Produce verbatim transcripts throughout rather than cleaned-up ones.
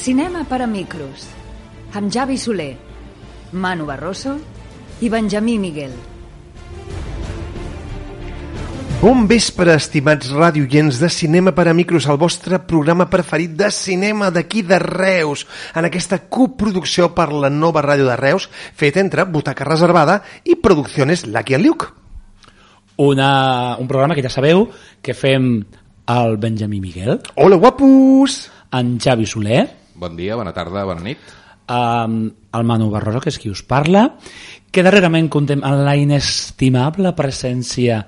Cinema per a micros, amb Javi Soler, Manu Barroso i Benjamí Miguel. Bon vespre, estimats radioients de Cinema per a micros, el vostre programa preferit de cinema d'aquí de Reus, en aquesta coproducció per la nova ràdio de Reus, feta entre Butaca Reservada i Producciones Lucky and Luke. Una, un programa que ja sabeu que fem el Benjamí Miguel. Hola, guapos! En Javi Soler. Bon dia, bona tarda, bona nit. Um, el Manu Barroso, que és qui us parla, que darrerament contem amb la inestimable presència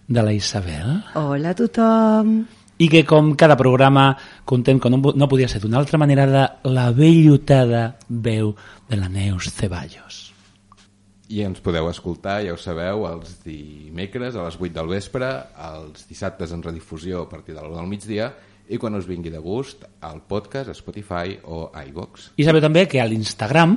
de la Isabel. Hola a tothom. I que com cada programa contem, que no, no podia ser d'una altra manera, de la vellotada veu de la Neus Ceballos. I ens podeu escoltar, ja ho sabeu, els dimecres a les vuit del vespre, els dissabtes en redifusió a partir de l'una del migdia, i quan us vingui de gust, al podcast, a Spotify o a iVox. I sabeu també que a l'Instagram,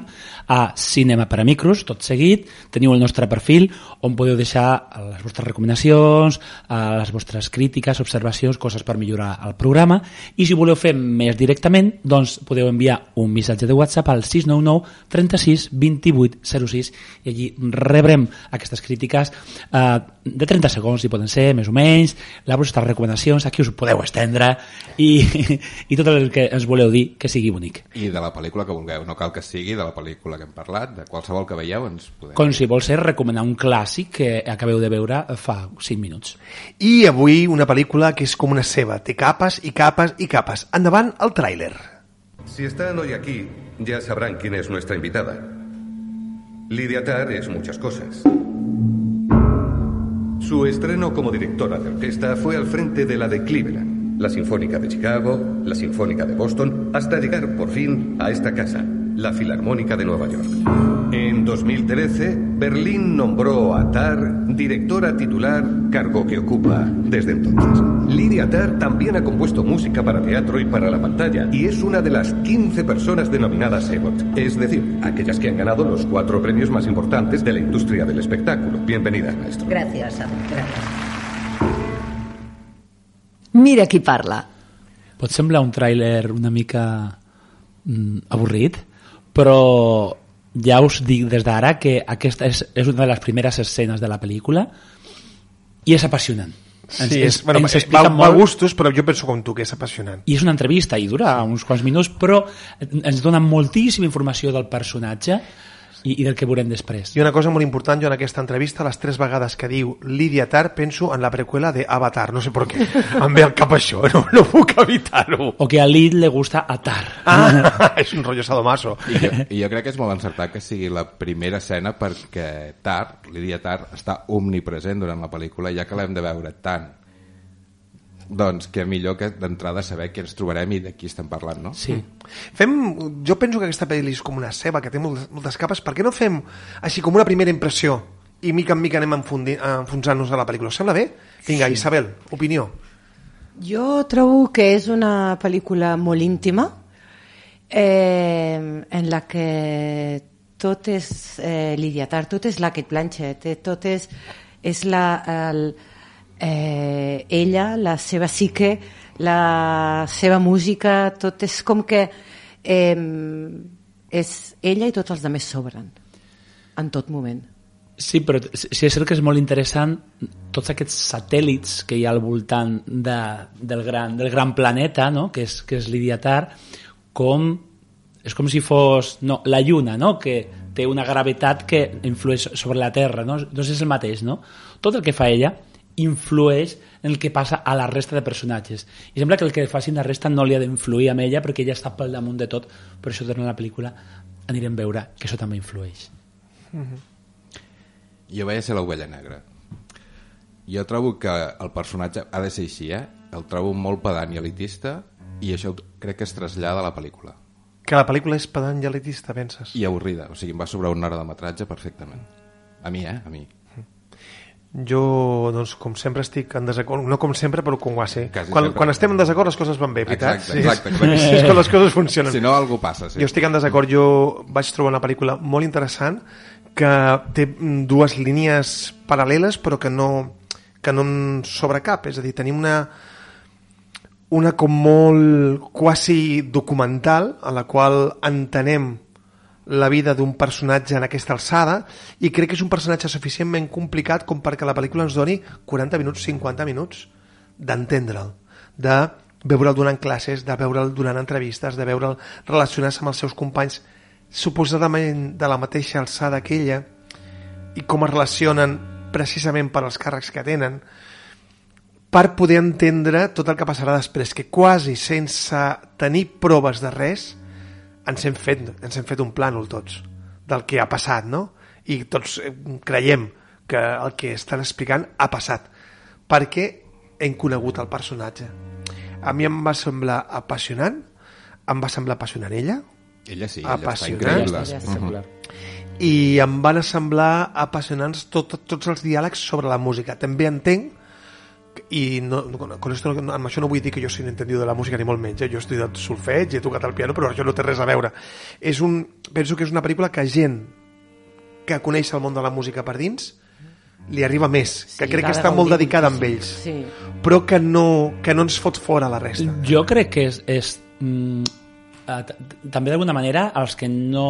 a Cinema per a Micros, tot seguit, teniu el nostre perfil on podeu deixar les vostres recomanacions, les vostres crítiques, observacions, coses per millorar el programa, i si voleu fer més directament, doncs podeu enviar un missatge de WhatsApp al sis nou nou trenta-sis vint-i-vuit zero sis i allí rebrem aquestes crítiques eh, de trenta segons, si poden ser, més o menys, les vostres recomanacions, aquí us podeu estendre, i, i tot el que ens voleu dir que sigui bonic. I de la pel·lícula que vulgueu, no cal que sigui de la pel·lícula que hem parlat, de qualsevol que veieu ens podeu... Com si vol ser recomanar un clàssic que acabeu de veure fa cinc minuts. I avui una pel·lícula que és com una ceba, té capes i capes i capes. Endavant el tràiler. Si están hoy aquí, ya sabrán quién es nuestra invitada. Lydia Tarr es muchas cosas. Su estreno como directora de orquesta fue al frente de la de Cleveland, la Sinfónica de Chicago, la Sinfónica de Boston, hasta llegar por fin a esta casa, la Filarmónica de Nueva York. En dos mil trece, Berlín nombró a Tarr directora titular, cargo que ocupa desde entonces. Lydia Tarr también ha compuesto música para teatro y para la pantalla, y es una de las quince personas denominadas E G O T, es decir, aquellas que han ganado los cuatro premios más importantes de la industria del espectáculo. Bienvenida, maestro. Gràcies, gràcies. Mira qui parla. Pot semblar un tràiler una mica mm, avorrit, però ja us dic des d'ara que aquesta és, és una de les primeres escenes de la pel·lícula i és apassionant. Sí, ens, és, bueno, ens va, molt... va a gustos, però jo penso com tu, que és apassionant. I és una entrevista i dura uns quants minuts, però ens dona moltíssima informació del personatge i, i del que veurem després. I una cosa molt important, jo en aquesta entrevista, les tres vegades que diu Lydia Tarr, penso en la preqüela de Avatar, no sé per què. Em ve al cap això, no, no puc evitar-ho. O que a Lid le gusta atar. Ah, és un rotllo sadomaso. I jo, I jo crec que és molt encertat que sigui la primera escena perquè Tarr, Lydia Tarr, està omnipresent durant la pel·lícula, ja que l'hem de veure tant. Doncs que millor que d'entrada saber què ens trobarem i de qui estem parlant, no? Sí. Fem, jo penso que aquesta pel·li és com una ceba que té moltes, moltes capes. Per què no fem així com una primera impressió i mica en mica anem enfonsant-nos a la pel·lícula? Us sembla bé? Vinga, sí. Isabel, opinió. Jo trobo que és una pel·lícula molt íntima eh, en la que tot és eh, Lydia Tarr, tot és la Cate Blanchett, tot és, és la... El, Eh, ella, la seva psique, la seva música, tot és com que eh, és ella i tots els altres sobren en tot moment. Sí, però sí és cert que és molt interessant tots aquests satèl·lits que hi ha al voltant de, del, gran, del gran planeta, no? que és, que és Lydia Tarr, com és com si fos no, la lluna, no? que té una gravetat que influeix sobre la Terra, no? Doncs és el mateix, no? Tot el que fa ella influeix en el que passa a la resta de personatges i sembla que el que facin la resta no li ha d'influir amb ella perquè ella està pel damunt de tot, per això durant la pel·lícula anirem a veure que això també influeix. Mm-hmm. Jo vaig a ser l'ovella negra. Jo trobo que el personatge ha de ser així, eh? El trobo molt pedant i elitista i això crec que es trasllada a la pel·lícula. Que la pel·lícula és pedant i elitista, penses? I avorrida, o sigui, em va sobrar una hora de metratge perfectament. A mi, eh? A mi. Jo, doncs, com sempre estic en desacord, no com sempre, però com ho va ser. Quan, sempre. quan estem en desacord les coses van bé, veritat? Exacte, exacte. Sí, és, és que les coses funcionen. Si no, algú passa, sí. Jo estic en desacord, jo vaig trobar una pel·lícula molt interessant que té dues línies paral·leles però que no, que no en sobre cap, és a dir, tenim una, una com molt quasi documental, en la qual entenem la vida d'un personatge en aquesta alçada, i crec que és un personatge suficientment complicat com perquè la pel·lícula ens doni quaranta minuts, cinquanta minuts d'entendre'l, de veure'l donant classes, de veure'l donant entrevistes, de veure'l relacionar-se amb els seus companys suposadament de la mateixa alçada que ella, i com es relacionen precisament per als càrrecs que tenen, per poder entendre tot el que passarà després, que quasi sense tenir proves de res ens hem fet, ens hem fet un plànol tots del que ha passat, no? I tots creiem que el que estan explicant ha passat, perquè hem conegut el personatge. A mi em va semblar apassionant, em va semblar apassionant ella, ella sí, ella està increïble, espectacular. I em van semblar apassionants tot, tots els diàlegs sobre la música. També entenc, i no, con esto, amb això no vull dir que jo sigui entendido de la música ni molt menys, eh? Jo he estudiat solfeig, he tocat el piano, però això no té res a veure. És un, penso que és una pel·lícula que gent que coneix el món de la música per dins li arriba més, que sí, crec que està molt dedicada amb ells, sí. Però que no, que no ens fot fora la resta. Jo crec que és, és mm, també d'alguna manera els que no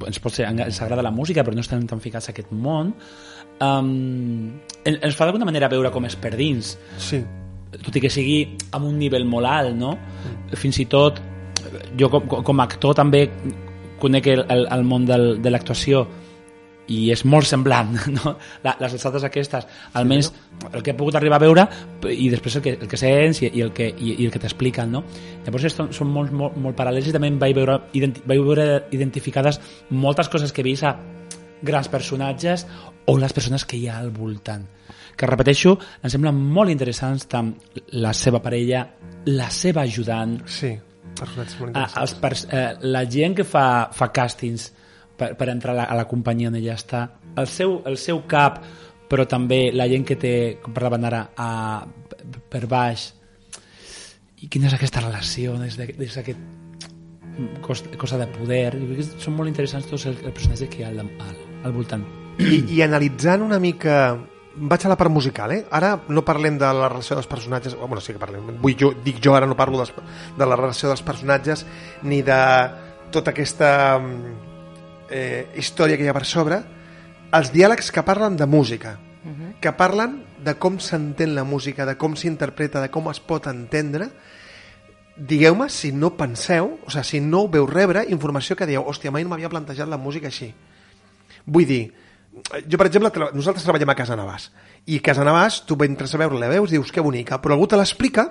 ens pot ser, ens agrada la música però no estan tan ficats a aquest món, um, ens fa d'alguna manera veure com és per dins, sí. Tot i que sigui amb un nivell molt alt, no? Mm. Fins i tot jo com, com a actor també conec el, el, el món del, de l'actuació i és molt semblant, no? La, les alçades aquestes, almenys el que he pogut arribar a veure i després el que, el que sents i, i el que, i, i el que t'expliquen, no? Llavors són molt, molt, molt paral·lels i també vaig veure, identi, vaig veure identificades moltes coses que he vist a grans personatges o les persones que hi ha al voltant, que repeteixo, em semblen molt interessants tant la seva parella, la seva ajudant, sí, personatges molt interessants. Els pers- eh, la gent que fa, fa càstings Per, per entrar a la, a la companyia on ella està, el seu, el seu cap, però també la gent que té, com parlaven ara, a, per baix, i quina és aquesta relació des d'aquest cosa, cosa de poder. Són molt interessants tots els, els personatges que hi ha al, al, al voltant. I, i analitzant una mica, vaig a la part musical, eh? Ara no parlem de la relació dels personatges, oh, bueno, sí que parlem, vull jo, dic jo, ara no parlo dels, de la relació dels personatges ni de tota aquesta Eh, història que hi ha per sobre, els diàlegs que parlen de música, uh-huh. que parlen de com s'entén la música, de com s'interpreta, de com es pot entendre. Digueu-me si no penseu, o sigui, si no veu rebre informació que dieu, hòstia, mai no m'havia plantejat la música així. Vull dir, jo per exemple, nosaltres treballem a Casa Navàs, i a Casa Navàs tu entres a veure la veus, dius que bonica, però algú te l'explica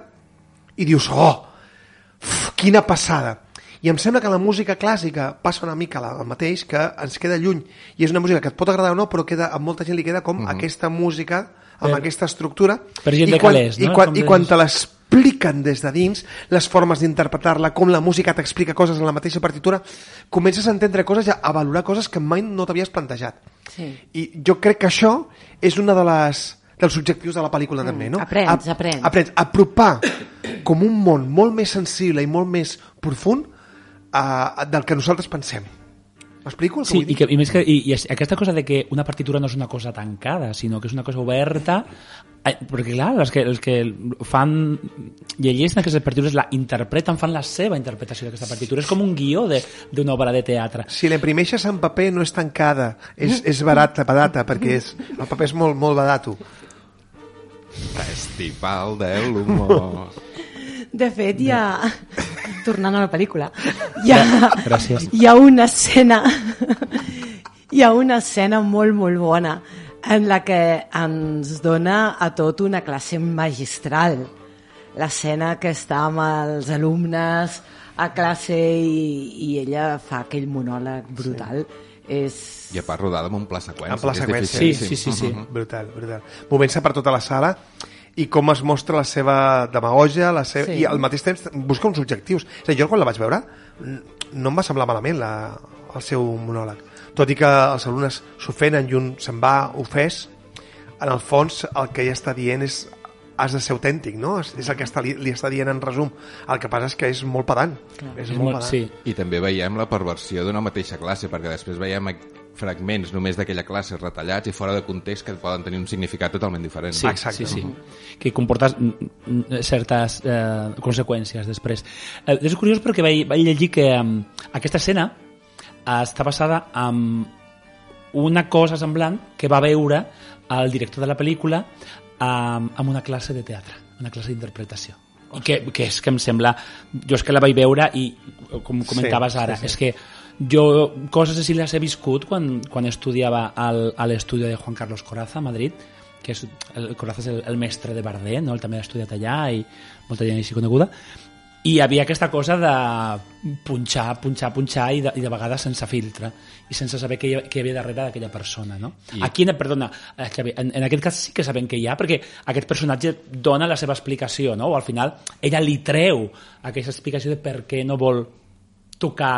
i dius, oh, uf, quina passada. I em sembla que la música clàssica passa una mica el mateix, que ens queda lluny i és una música que et pot agradar o no, però queda, a molta gent li queda com uh-huh. aquesta música amb per, aquesta estructura per gent i de quan, calés, no? i quan, i quan te l'expliquen des de dins, les formes d'interpretar-la, com la música t'explica coses en la mateixa partitura, comences a entendre coses i a valorar coses que mai no t'havies plantejat. Sí. I jo crec que això és una de les dels objectius de la pel·lícula mm, també, no? Aprens, aprens. Aprens. Apropar com un món molt més sensible i molt més profund Uh, del que nosaltres pensem. M'explico? Sí, i, que, i, més que, i, i aquesta cosa de que una partitura no és una cosa tancada, sinó que és una cosa oberta, eh, perquè clar, els que, els que fan llegeixen aquestes partitures, la interpreten, fan la seva interpretació d'aquesta partitura, és com un guió d'una obra de teatre. Si l'imprimeixes en paper no és tancada, és, és barata, barata, perquè és, el paper és molt, molt barato. Festival de l'humor. De fet, hi ha... Tornant a la pel·lícula, hi ha, Gràcies. hi ha una escena hi ha una escena molt, molt bona en la que ens dona a tot una classe magistral. L'escena que està amb els alumnes a classe i, i ella fa aquell monòleg brutal. Sí. És... I a part rodada amb un pla seqüència. En pla seqüència, sí, sí, sí, sí. Uh-huh. Brutal, brutal. Movent-se per tota la sala i com es mostra la seva demagogia, la seva... sí. I al mateix temps busca uns objectius. És a dir, jo quan la vaig veure no em va semblar malament la, el seu monòleg. Tot i que els alumnes s'ofenen i un se'n va ofès, en el fons el que ella està dient és has de ser autèntic, no? És el que està, li, li està dient en resum. El que passa és que és molt pedant. Clar, és és molt molt, pedant. sí. I també veiem la perversió d'una mateixa classe, perquè després veiem fragments només d'aquella classe retallats i fora de context que poden tenir un significat totalment diferent. Sí, sí, sí. Que comporta certes eh, conseqüències després. Eh, és curiós perquè vaig, vaig llegir que eh, aquesta escena està basada en una cosa semblant que va veure el director de la pel·lícula en, en una classe de teatre, una classe d'interpretació. I que, que és que em sembla... Jo és que la vaig veure i, com comentaves sí, ara, sí, sí. és que jo coses així les he viscut quan, quan estudiava al, a l'estudi de Juan Carlos Corazza a Madrid, que és, el Corazza és el, el mestre de Bardet, no? Ell també l'ha estudiat allà i molta gent així coneguda, i hi havia aquesta cosa de punxar, punxar, punxar i de, i de vegades sense filtre i sense saber què hi, què hi havia darrere d'aquella persona, no? I... Aquí, perdona, en, en aquest cas sí que sabem què hi ha, perquè aquest personatge dona la seva explicació, no? O al final ella li treu aquesta explicació de per què no vol tocar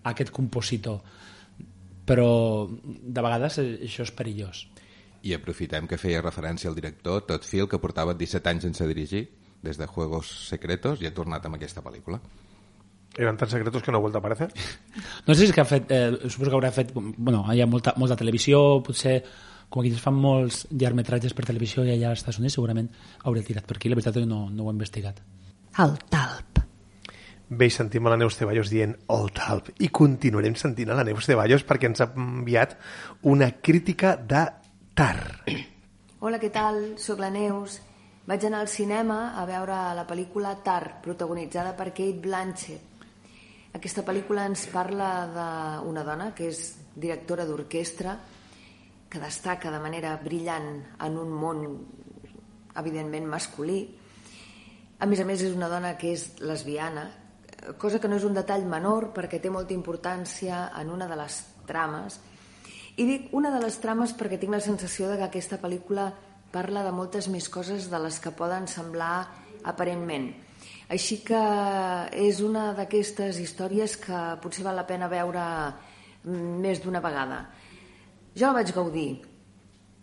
aquest compositor, però de vegades això és perillós. I aprofitem que feia referència al director Todd Field, que portava disset anys sense dirigir des de Juegos Secretos i ha tornat amb aquesta pel·lícula. Eren tan secretos que no ha vuelto a aparecer? No sé si és que ha fet, eh, suposo que haurà fet, bueno, hi ha molta, molta televisió, potser com aquí es fan molts llargmetratges per televisió i allà als Estats Units segurament hauré tirat per aquí, la veritat és que no, no ho he investigat. El talp. Bé, sentim a la Neus Ceballos dient el talp i continuarem sentint a la Neus Ceballos perquè ens ha enviat una crítica de Tar. Hola, què tal? Soc la Neus. Vaig anar al cinema a veure la pel·lícula Tar, protagonitzada per Cate Blanchett. Aquesta pel·lícula ens parla d'una dona que és directora d'orquestra, que destaca de manera brillant en un món evidentment masculí. A més a més és una dona que és lesbiana, cosa que no és un detall menor perquè té molta importància en una de les trames. I dic una de les trames perquè tinc la sensació de que aquesta pel·lícula parla de moltes més coses de les que poden semblar aparentment. Així que és una d'aquestes històries que potser val la pena veure més d'una vegada. Jo la vaig gaudir.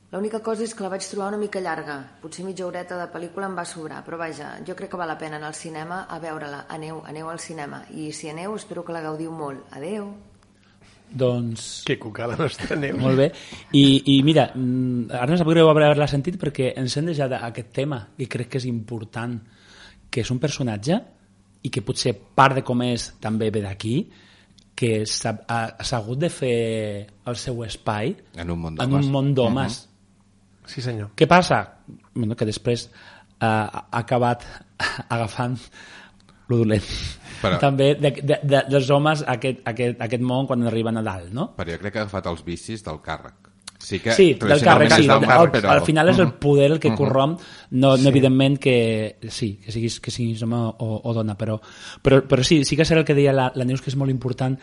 L'única cosa és que la vaig trobar una mica llarga. Potser mitja horeta de pel·lícula em va sobrar, però vaja, jo crec que val la pena anar al cinema a veure-la. Aneu, aneu al cinema. I si aneu, espero que la gaudiu molt. Adeu. Doncs... Que cuca la nostra Neus. Molt bé. I, i mira, ara no sap greu haver-la sentit perquè ens hem deixat aquest tema i crec que és important, que és un personatge i que potser part de com és també ve d'aquí, que s'ha, s'ha hagut de fer el seu espai en un món d'homes. En un món d'homes. Uh-huh. Sí, senyor. Què passa? Bueno, que després eh, ha acabat agafant lo dolent. Però... també de, de, de, dels homes aquest, aquest, aquest món quan arriben a dalt, no? Però jo crec que ha agafat els vicis del càrrec. Sí, que, sí del càrrec, sí. Del càrrec, però... Al final és el poder el que uh -huh. corromp, no, no sí. evidentment que sí, que siguis, que siguis home o, o dona, però, però, però sí, sí que serà el que deia la, la Neus, que és molt important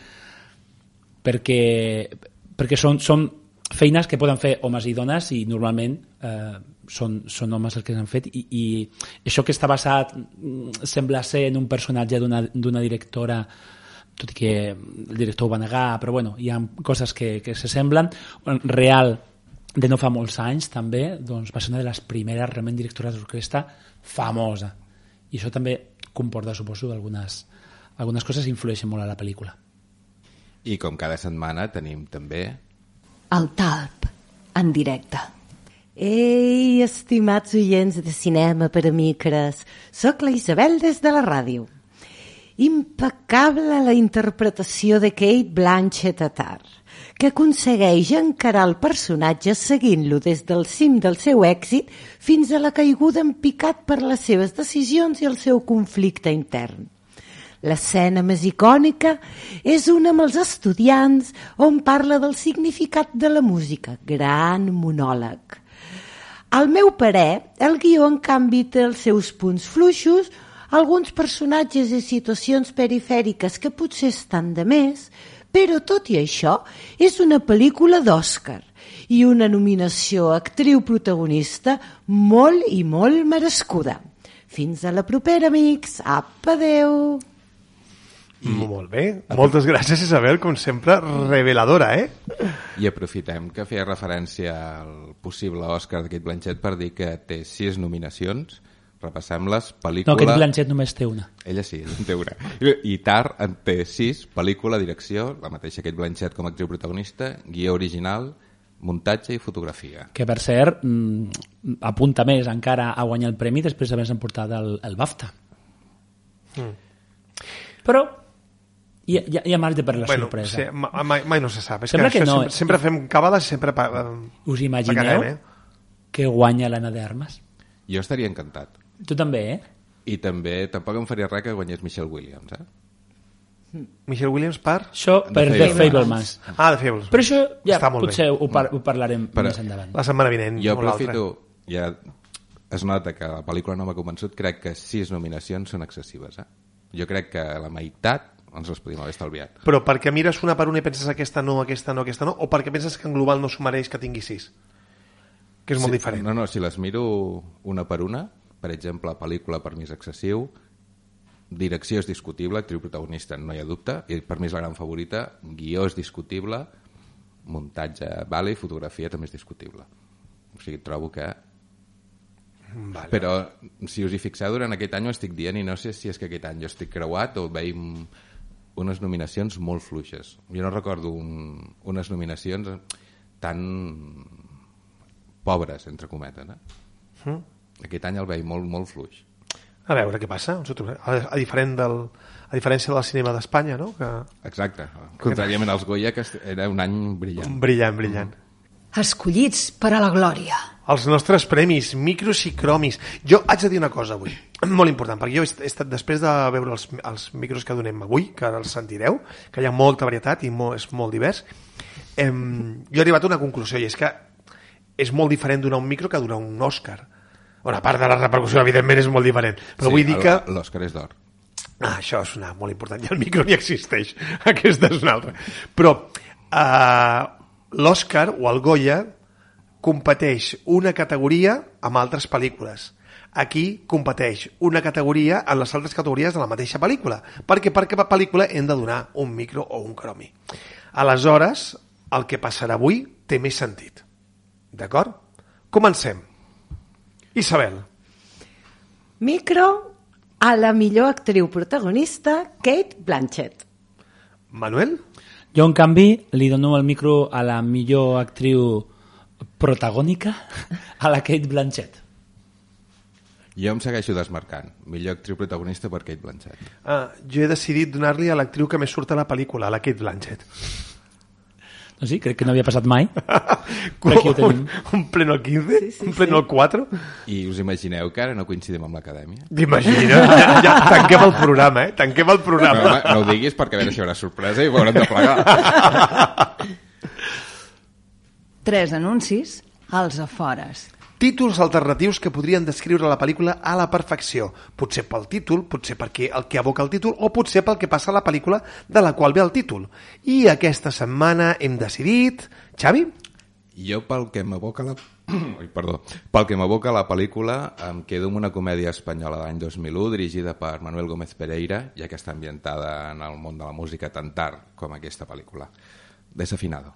perquè, perquè són, són feines que poden fer homes i dones i normalment eh, són, són homes els que s'han fet i, i això que està basat sembla ser en un personatge d'una, d'una directora, tot i que el director ho va negar, però bueno, hi ha coses que, que se semblen. Real, de no fa molts anys també, doncs va ser una de les primeres realment directores d'orquestra famosa, i això també comporta, suposo, algunes, algunes coses influeixen molt a la pel·lícula. I com cada setmana tenim també el talp en directe. Ei, estimats oients de Cinema per a Micres, soc la Isabel des de la ràdio. Impecable la interpretació de Cate Blanchett a Tar, que aconsegueix encarar el personatge seguint-lo des del cim del seu èxit fins a la caiguda en picat per les seves decisions i el seu conflicte intern. L'escena més icònica és una amb els estudiants on parla del significat de la música, gran monòleg. Al meu parer, el guió en canvi té els seus punts fluixos, alguns personatges i situacions perifèriques que potser estan de més, però tot i això és una pel·lícula d'Oscar i una nominació a actriu protagonista molt i molt merescuda. Fins a la propera, amics. Apa, adeu! I... Molt bé, moltes gràcies, Isabel, com sempre, reveladora, eh? I aprofitem que feia referència al possible Òscar de Cate Blanchett per dir que té sis nominacions, Repassem-les. Pel·lícula... No, aquest Blanchett només té una. Ella sí, ella en té una. I Tar en té sis, pel·lícula, direcció, la mateixa Kate Blanchett com a actriu protagonista, guió original, muntatge i fotografia. Que, per cert, mmm, apunta més encara a guanyar el premi després d'haver-se emportat el, el BAFTA. Mm. Però hi ha, hi ha, hi ha marge per la bueno, sorpresa. Sí, mai, mai no se sap. És Sembla que, que no, sempre, sempre fem cabales i sempre... Us imagineu pagarem, eh? que guanya l'Anna de Armas? Jo estaria encantat. Tu també, eh? I també tampoc em faria res que guanyés Michelle Williams, eh? Michelle Williams per? Això per The Fablemans. Ah, The Fablemans. Però això ja Està molt potser bé. ho, par ho parlarem Però més endavant. La setmana vinent. Jo aprofito, ja es nota que la pel·lícula no m'ha convençut, crec que sis nominacions són excessives, eh? Jo crec que la meitat ens les podíem haver estalviat. Però perquè mires una per una i penses aquesta no, aquesta no, aquesta no, o perquè penses que en global no s'ho mereix que tingui sis? Que és molt sí, diferent. No, no, si les miro una per una, per exemple, pel·lícula per mi és excessiu, direcció és discutible, actriu protagonista no hi ha dubte, i per mi és la gran favorita, guió és discutible, muntatge vale, i fotografia també és discutible. O sigui, trobo que... Vale. Però si us hi fixeu, durant aquest any ho estic dient i no sé si és que aquest any jo estic creuat o veiem unes nominacions molt fluixes. Jo no recordo un, unes nominacions tan pobres, entre cometes. Eh? Mm. Aquest any el veig molt, molt fluix. A veure què passa. A, a, diferent del, a diferència del cinema d'Espanya, no? Que... Exacte. Contràriament als Goya, que era un any brillant. Brillant, brillant. Escollits per a la glòria. Els nostres premis, micros i cromis. Jo haig de dir una cosa avui, molt important, perquè jo he estat, després de veure els, els micros que donem avui, que ara els sentireu, que hi ha molta varietat i molt, és molt divers, eh, jo he arribat a una conclusió, i és que és molt diferent donar un micro que donar un Òscar. Bueno, a part de la repercussió, evidentment, és molt diferent. Però sí, vull dir que... l'Òscar és d'or. Ah, això és una molt important, i el micro ni existeix. Aquesta és una altra. Però eh, l'Òscar o el Goya competeix una categoria amb altres pel·lícules. Aquí competeix una categoria en les altres categories de la mateixa pel·lícula, perquè per cada pel·lícula hem de donar un micro o un cromi. Aleshores, el que passarà avui té més sentit. D'acord? Comencem. Isabel. Micro a la millor actriu protagonista, Kate Blanchett. Manuel? Jo, en canvi, li dono el micro a la millor actriu protagònica, a la Kate Blanchett. Jo em segueixo desmarcant. Millor actriu protagonista per Kate Blanchett. Ah, jo he decidit donar-li a l'actriu que més surt a la pel·lícula, a la Kate Blanchett. Doncs sí, crec que no havia passat mai. un, un pleno al quinze? Sí, sí, un pleno sí. al quatre? I us imagineu que ara no coincidim amb l'acadèmia? T'imagines? Ja, ja, tanquem el programa, eh? Tanquem el programa. No, home, no ho diguis perquè a veure si hi haurà sorpresa i ho haurem de plegar. Tres anuncis als afores. Títols alternatius que podrien descriure la pel·lícula a la perfecció. Potser pel títol, potser perquè el que evoca el títol, o potser pel que passa a la pel·lícula de la qual ve el títol. I aquesta setmana hem decidit... Xavi? Jo pel que m'evoca la... Ai, perdó. Pel que m'evoca la pel·lícula em quedo amb una comèdia espanyola de l'any dos mil u dirigida per Manuel Gómez Pereira, ja que està ambientada en el món de la música tan tard com aquesta pel·lícula. Desafinado.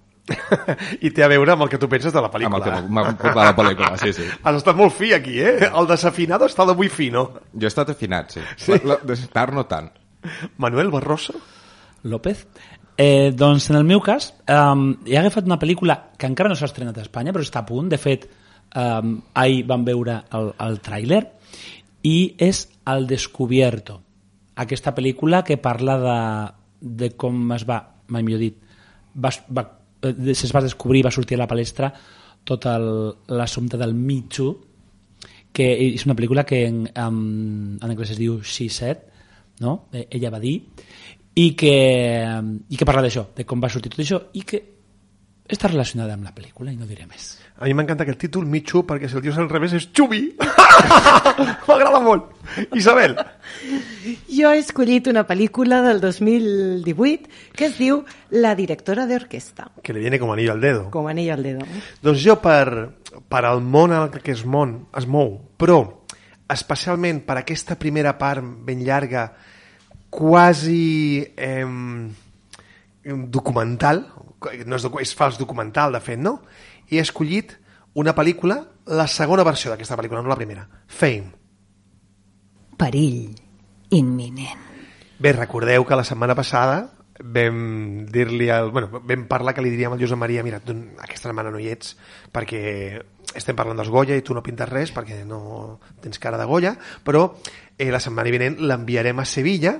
I té a veure amb el que tu penses de la pel·lícula. Amb el que m'ha portat la pel·lícula, sí, sí. Has estat molt fi aquí, eh? El desafinado està d'avui fino. Jo he estat afinat, sí. sí? La, la, tard no tant. Manuel Barroso? López? Eh, doncs en el meu cas um, he agafat una pel·lícula que encara no s'ha estrenat a Espanya, però està a punt. De fet, um, ahir vam veure el, el tràiler i és El Descubierto. Aquesta pel·lícula que parla de, de com es va, mai millor dit, va, va es va descobrir, va sortir a la palestra tot l'assumpte del Me Too, que és una pel·lícula que en, en, en anglès es diu She Said, no? Ella va dir, i que, i que parla d'això, de com va sortir tot això, i que està relacionada amb la pel·lícula, i no diré més. A mi m'encanta aquest títol, Me Too, perquè si el dius al revés és Xubi. M'agrada molt. Isabel. Jo he escollit una pel·lícula del dos mil divuit que es diu La directora d'orquestra. Que le viene com anillo al dedo. Com anillo al dedo. Doncs jo, per, per al món en el que es, mon, es mou, però especialment per aquesta primera part ben llarga, quasi eh, documental, no és, és fals documental, de fet, no? I he escollit una pel·lícula, la segona versió d'aquesta pel·lícula, no la primera, Fame. perill imminent. Bé, recordeu que la setmana passada vam dir-li al, bueno, vam parlar que li diríem al Josep Maria, mira, tu aquesta setmana no hi ets perquè estem parlant dels Goya i tu no pintes res perquè no tens cara de Goya, però eh, la setmana vinent l'enviarem a Sevilla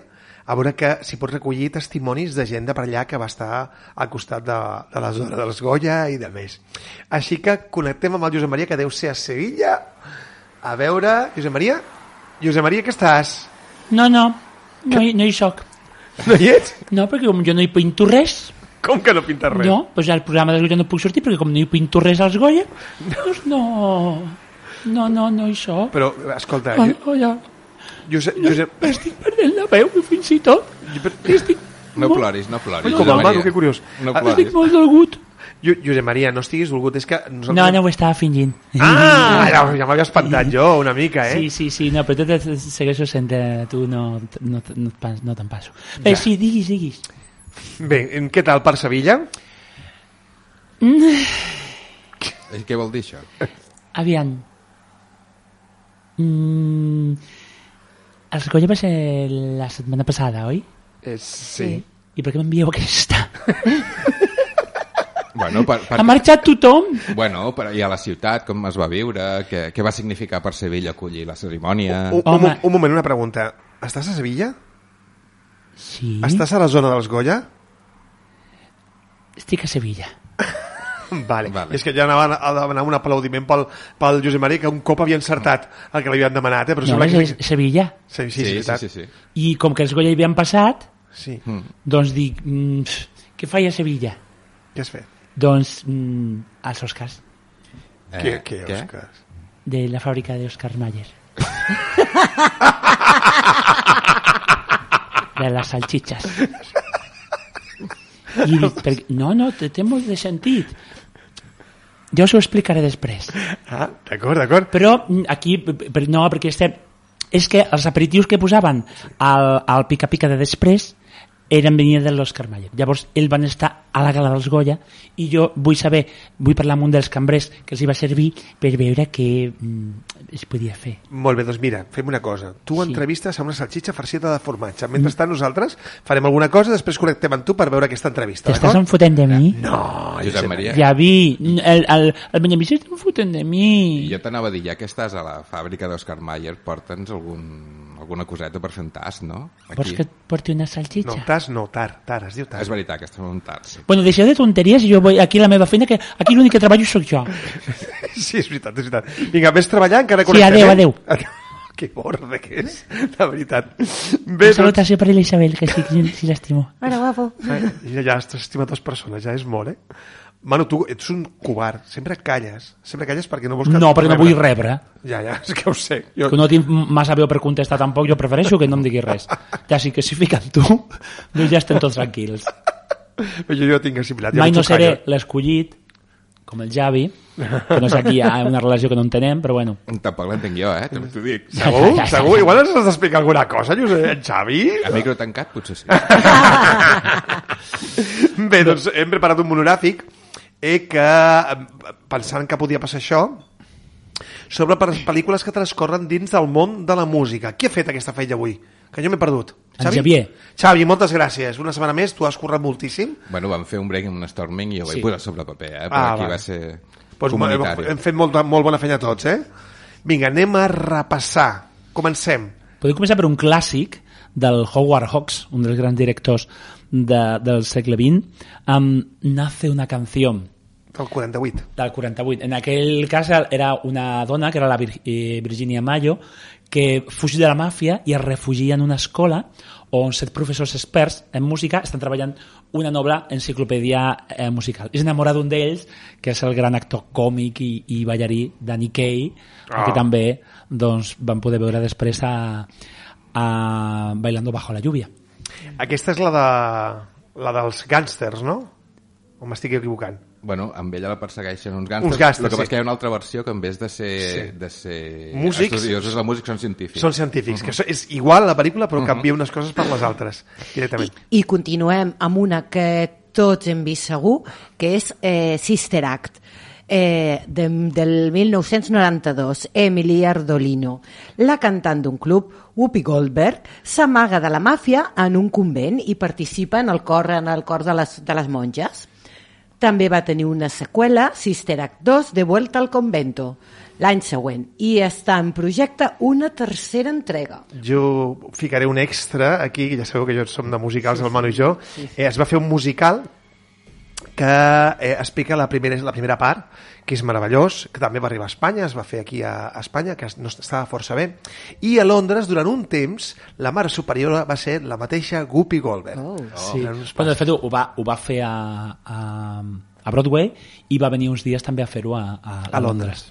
a veure que si pots recollir testimonis de gent de per allà que va estar al costat de, de la zona dels Goya i de més. Així que connectem amb el Josep Maria, que deu ser a Sevilla, a veure... Josep Maria? Josep Maria, que estàs? No, no, no, hi, no hi soc. No hi ets? No, perquè com jo no hi pinto res. Com que no pintes res? No, doncs al programa de Goya no puc sortir perquè com no hi pinto res als Goya, doncs no... No, no, no hi soc. Però, escolta... Oh, oh, ja. Josep, Josep... Estic perdent la veu, fins i tot. Estic No molt... ploris, no ploris. Com el Manu, que curiós. No Ah, ploris. Estic molt dolgut. Jo, Josep Maria, no estiguis dolgut, és que... Nosaltres... No, no ho estava fingint. Ah, ja, ja m'havia espantat jo una mica, eh? Sí, sí, sí, no, però tu te segueixo sent... eh, Tu no, no, no, no, pas- no te'n passo. Bé, sí, diguis, diguis. Bé, què tal per Sevilla? Eh, Què vol dir això? Aviam. Mm, els Goya va ser la setmana passada, oi? Eh, sí. I per què m'envieu aquesta? Bueno, per, per... Ha marxat tothom? Bueno, per, i a la ciutat, com es va viure, què, què va significar per Sevilla acollir la cerimònia... Un, un, Home. un moment, una pregunta. Estàs a Sevilla? Sí. Estàs a la zona dels Goya? Estic a Sevilla. Vale. Vale. És que ja anava a demanar un aplaudiment pel, pel Josep Maria, que un cop havia encertat el que li havien demanat, eh? Però No, sembla és que... Sevilla. Sí, sí, sí, sí, sí, veritat. sí, sí. I com que els Goya hi havien passat, Sí. Mm. doncs dic, mm, pf, què faig a Sevilla? Què has fet? Doncs mm, als Oscars, Eh, què, què, Òscar? de la fàbrica d'Oscar Mayer. De les salchichas. I dic, per... no, no, té, té molt de sentit. Ja us ho explicaré després. Ah, d'acord, d'acord. Però mm, aquí, per, no, perquè estem... És que els aperitius que posaven al, al pica-pica de després eren venia de l'Òscar Mayer. Llavors, ells van estar a la gala dels Goya i jo vull saber, vull parlar amb un dels cambrers que els hi va servir per veure què mm, es podia fer. Molt bé, doncs mira, fem una cosa. Tu Sí. entrevistes a una salxitxa farcida de formatge. Mentrestant nosaltres farem alguna cosa, després connectem amb tu per veure aquesta entrevista, T'estàs d'acord? enfotent de mi? No, Josep Maria, Ja vi, el, el, el Benjamí s'està enfotent de mi. jo t'anava a dir, ja que estàs a la fàbrica d'Òscar Mayer, porta'ns algun, alguna coseta per fer un tas, no? Vols que et porti una No, salxitxa? tas no, tar, tar, es diu tar. És veritat que estem en un tas. Sí. Bueno, deixeu de tonteries i jo vull aquí a la meva feina, que aquí l'únic que treballo sóc jo. Sí, és veritat, és veritat. Vinga, vés treballant, que ara Sí, connectem, adéu, eh? adéu. Que borde que és, la veritat. Una Bé, doncs... salutació per l'Isabel, que sí, sí, sí l'estimo. Hola, guapo. Ja, ja has estimat dues persones, ja és molt, eh? Manu, tu ets un covard, sempre calles. Sempre calles perquè no vols... que- No, perquè no vull rebre. Ja, ja, és que ho sé. Jo... Que no tinc massa veu per contestar tampoc, jo prefereixo que no em diguis res. Ja sí que si fiquen tu, doncs ja estem tots tranquils. Jo, jo tinc assimilat. Ja Mai no ets un seré callo. l'escollit, com el Javi, que no sé aquí hi ha una relació que no entenem, però bueno. Tampoc l'entenc jo, eh? També t'ho dic. Segur? Segur? Igual ens has d'explicar alguna cosa, Josep, Xavi? A micro tancat, potser sí. Bé, doncs hem preparat un monogràfic eh, que, eh, pensant que podia passar això, sobre per pel·lícules que transcorren dins del món de la música. Qui ha fet aquesta feina avui? Que jo m'he perdut. En Xavier. Xavi, moltes gràcies. Una setmana més, tu has currat moltíssim. Bueno, vam fer un break amb un storming i jo ho vaig Sí. posar sobre paper, eh? Però Ah, aquí vale. va ser Pues comunitari. hem fet molt, molt bona feina tots, eh? Vinga, anem a repassar. Comencem. Podem començar per un clàssic del Howard Hawks, un dels grans directors de, del segle vint, amb Nace una canción, Del quaranta-vuit. del quaranta-vuit. En aquell cas era una dona, que era la Vir eh, Virginia Mayo, que fuig de la màfia i es refugia en una escola on set professors experts en música estan treballant una noble enciclopèdia eh, musical. És enamorada d'un d'ells, que és el gran actor còmic i, i ballarí Danny Kaye, Ah. que també doncs, van poder veure després a, a Bailando bajo la lluvia. Aquesta és la, de, la dels gàngsters, no? O m'estic equivocant? Bueno, amb ella la persegueixen uns gàngsters. Uns gàngsters, El que passa sí. és que hi ha una altra versió que en vez de ser, Sí. de ser Músics. estudiosos de músics són científics. Són científics, que so- és igual la pel·lícula però canvia unes coses per les altres directament. I, I continuem amb una que tots hem vist segur, que és eh, Sister Act. eh, de, del mil nou-cents noranta-dos, Emily Ardolino. La cantant d'un club, Whoopi Goldberg, s'amaga de la màfia en un convent i participa en el cor, en el cor de, les, de les monges. També va tenir una seqüela, Sister Act dos, de Vuelta al Convento, l'any següent, i està en projecte una tercera entrega. Jo ficaré un extra aquí, ja sabeu que jo som de musicals, el Manu i jo. Eh, es va fer un musical que eh, explica la primera, la primera part, que és meravellós, que també va arribar a Espanya, es va fer aquí a, a Espanya, que no estava força bé, i a Londres, durant un temps, la mare superiora va ser la mateixa Whoopi Goldberg. Oh. Sí. Bueno, de fet, ho va, ho va fer a, a, a Broadway i va venir uns dies també a fer-ho a, a, a, a Londres.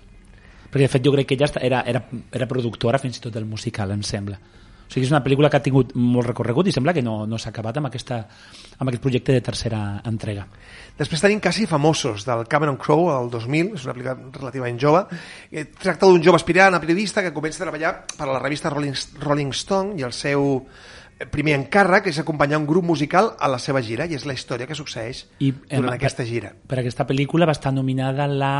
Perquè, de fet, jo crec que ella era, era, era productora fins i tot del musical, em sembla. O sigui, és una pel·lícula que ha tingut molt recorregut i sembla que no, no s'ha acabat amb, aquesta, amb aquest projecte de tercera entrega. Després tenim Quasi famosos, del Cameron Crowe, el dos mil, és una pel·lícula relativament jove. Eh, tracta d'un jove aspirant a periodista que comença a treballar per a la revista Rolling, Rolling Stone i el seu primer encàrrec és acompanyar un grup musical a la seva gira, i és la història que succeeix I, durant eh, aquesta gira. Per, per aquesta pel·lícula va estar nominada la...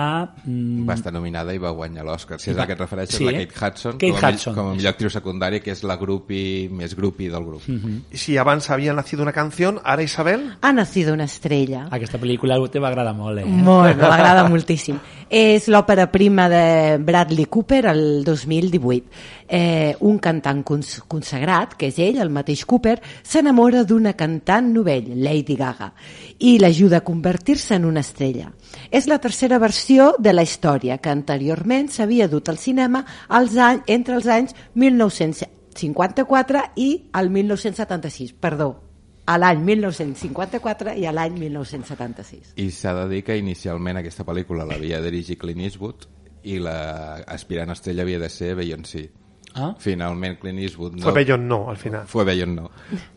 Mm... Va estar nominada i va guanyar l'Oscar. Si és va... a què et refereixes, sí, la Kate Hudson, Kate com, a Hudson. com a millor actriu secundària, que és la grupi més grupi del grup. Mm-hmm. Si abans havia nacido una canción, ara Isabel... Ha nacido una estrella. Aquesta pel·lícula te va agradar molt, eh? Molt, m'agrada moltíssim. És l'òpera prima de Bradley Cooper el dos mil divuit. Eh, un cantant cons consagrat, que és ell, el mateix Cooper, s'enamora d'una cantant novell, Lady Gaga, i l'ajuda a convertir-se en una estrella. És la tercera versió de la història, que anteriorment s'havia dut al cinema als anys, entre els anys mil nou-cents cinquanta-quatre i el mil nou-cents setanta-sis, perdó, a l'any mil nou-cents cinquanta-quatre i a l'any mil nou-cents setanta-sis. I s'ha de dir que inicialment aquesta pel·lícula l'havia dirigit Clint Eastwood i l'aspirant estrella havia de ser Beyoncé. Ah? Finalment Clint Eastwood no... Fue Bellon no, al final. Fue Bellon no.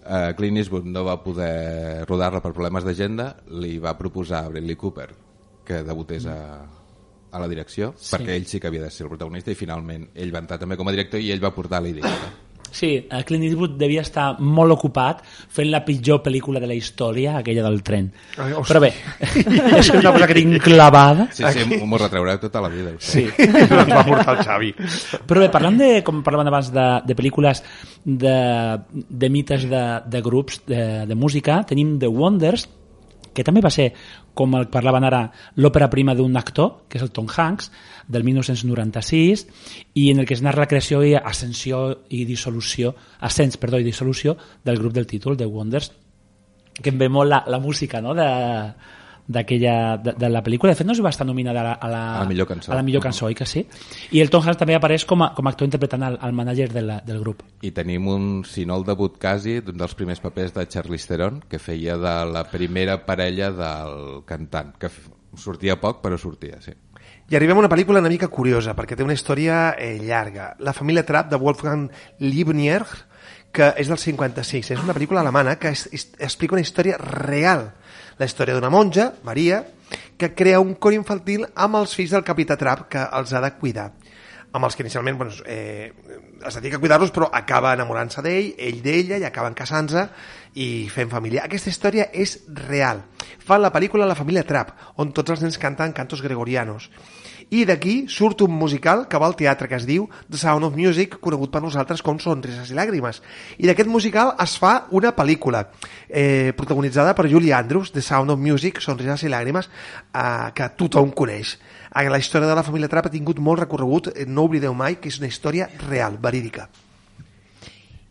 Uh, Clint Eastwood no va poder rodar-la per problemes d'agenda, li va proposar a Bradley Cooper que debutés a, a la direcció, sí. perquè ell sí que havia de ser el protagonista, i finalment ell va entrar també com a director i ell va portar la idea. Sí, Clint Eastwood devia estar molt ocupat fent la pitjor pel·lícula de la història, aquella del tren. Ai, però bé, és una cosa que tinc clavada. Sí, sí, m'ho retraureu tota la vida. Sí, ens va portar el Xavi. Però bé, parlant de, com parlàvem abans, de, de pel·lícules de, de mites de, de grups de, de música, tenim The Wonders, que també va ser, com el parlaven ara, l'òpera prima d'un actor, que és el Tom Hanks, del mil nou-cents noranta-sis, i en el que es narra la creació i ascensió i dissolució, ascens, perdó, i dissolució del grup del títol, The Wonders, que em ve molt la, la música, no?, de... d'aquella de, de la pel·lícula. De fet no es va estar nominada a la, a la, a la millor cançó, a la millor cançó, oi que sí? I el Tom Hanks també apareix com a, com a actor interpretant el, el mànager de la, del grup. I tenim un, si no el debut quasi, d'un dels primers papers de Charlize Theron, que feia de la primera parella del cantant, que sortia poc però sortia, sí. I arribem a una pel·lícula una mica curiosa, perquè té una història eh, llarga. La família Trapp, de Wolfgang Liebnier, que és del cinquanta-sis. És una pel·lícula alemana que es, es, explica una història real. La història d'una monja, Maria, que crea un cor infantil amb els fills del capità Trapp, que els ha de cuidar. Amb els que inicialment bueno, eh, es dedica a cuidar-los, però acaba enamorant-se d'ell, ell d'ella, i acaben casant-se i fent família. Aquesta història és real. Fan la pel·lícula La família Trapp, on tots els nens canten cantos gregorianos. I d'aquí surt un musical que va al teatre que es diu The Sound of Music, conegut per nosaltres com Sonrises i Làgrimes. I d'aquest musical es fa una pel·lícula eh, protagonitzada per Julie Andrews, The Sound of Music, Sonrises i Làgrimes, eh, que tothom coneix. La història de la família Trapp ha tingut molt recorregut, no oblideu mai que és una història real, verídica.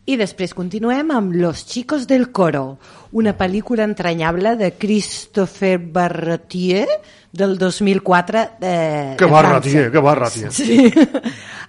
I després continuem amb Los chicos del coro, una pel·lícula entranyable de Christopher Barratier del dos mil quatre de, que de barra, França. tia, que barra, tia. Sí.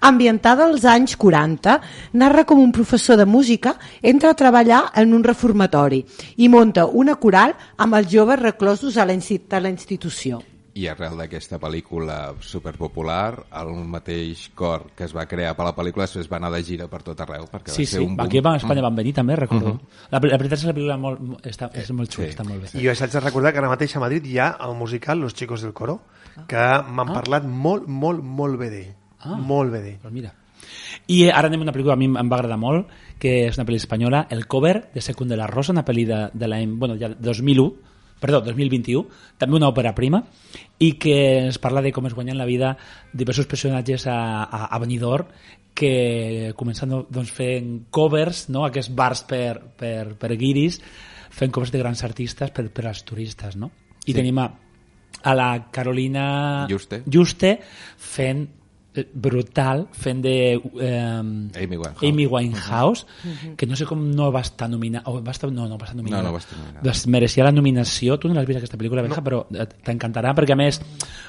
Ambientada als anys quaranta, narra com un professor de música entra a treballar en un reformatori i monta una coral amb els joves reclosos a la institució. I arrel d'aquesta pel·lícula superpopular, el mateix cor que es va crear per la pel·lícula es va anar de gira per tot arreu. Perquè sí, va ser sí, un boom. aquí a Espanya van venir també, recordo. Uh -huh. la, la veritat és que la pel·lícula molt, està, és molt xula, sí. Està molt bé. I jo haig de recordar que ara mateix a Madrid hi ha el musical Los chicos del coro, que m'han ah. parlat molt, molt, molt bé d'ell. Ah. Molt bé d'ell. Pues mira. I ara anem a una pel·lícula que a mi em va agradar molt, que és una pel·li espanyola, El cover de Secund de la Rosa, una pel·li de, de l'any, bueno, ja dos mil u, perdó, dos mil vint-i-u, també una òpera prima, i que ens parla de com es guanyen la vida diversos personatges a, a, a Benidorm, que comencen doncs, fent covers, no? Aquests bars per, per, per guiris, fent covers de grans artistes per, per als turistes, no? I sí. tenim a, a la Carolina Juste, Juste fent brutal, fent de eh, Amy Winehouse, Amy Winehouse uh-huh. que no sé com no va estar nominada oh, va estar, no, no va estar nominada no, no va estar nominada. Pues mereixia la nominació. Tu no l'has vist aquesta pel·lícula, Benja, no. Però t'encantarà perquè a més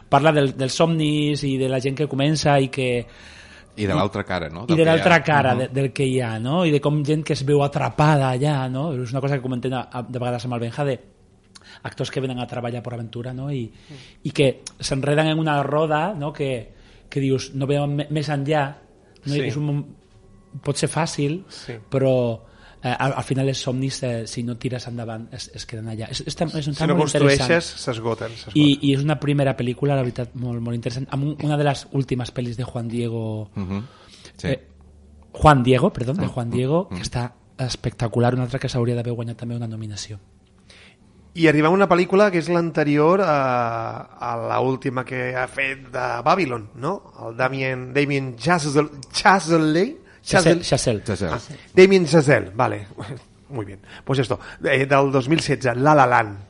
parla del, dels somnis i de la gent que comença i que i de l'altra cara, no? I de l'altra cara uh-huh. de, del que hi ha, no? I de com gent que es veu atrapada allà, no? És una cosa que comentem de vegades amb el Benja, de actors que venen a treballar per aventura, no? I, uh-huh. i que s'enreden en una roda, no? Que que dius, no veuen més enllà, no? Sí. És un, pot ser fàcil, sí. però eh, al, al final els somnis, eh, si no tires endavant, es, es queden allà. És, és, és un si no construeixes, s'esgoten. I, I és una primera pel·lícula, la veritat, molt, molt interessant, amb un, una de les últimes pel·lis de Juan Diego... Uh-huh. Sí. Eh, Juan Diego, perdó, de Juan Diego, uh-huh. que està espectacular, una altra que s'hauria d'haver guanyat també una nominació. I arribem a una pel·lícula que és l'anterior a, a l'última que ha fet de Babylon, no? El Damien, Damien Chazelle, Chazelle, Chazelle, Chazelle. Ah, Damien Chazelle, vale, muy bien. Pues esto, eh, del dos mil setze, La La Land.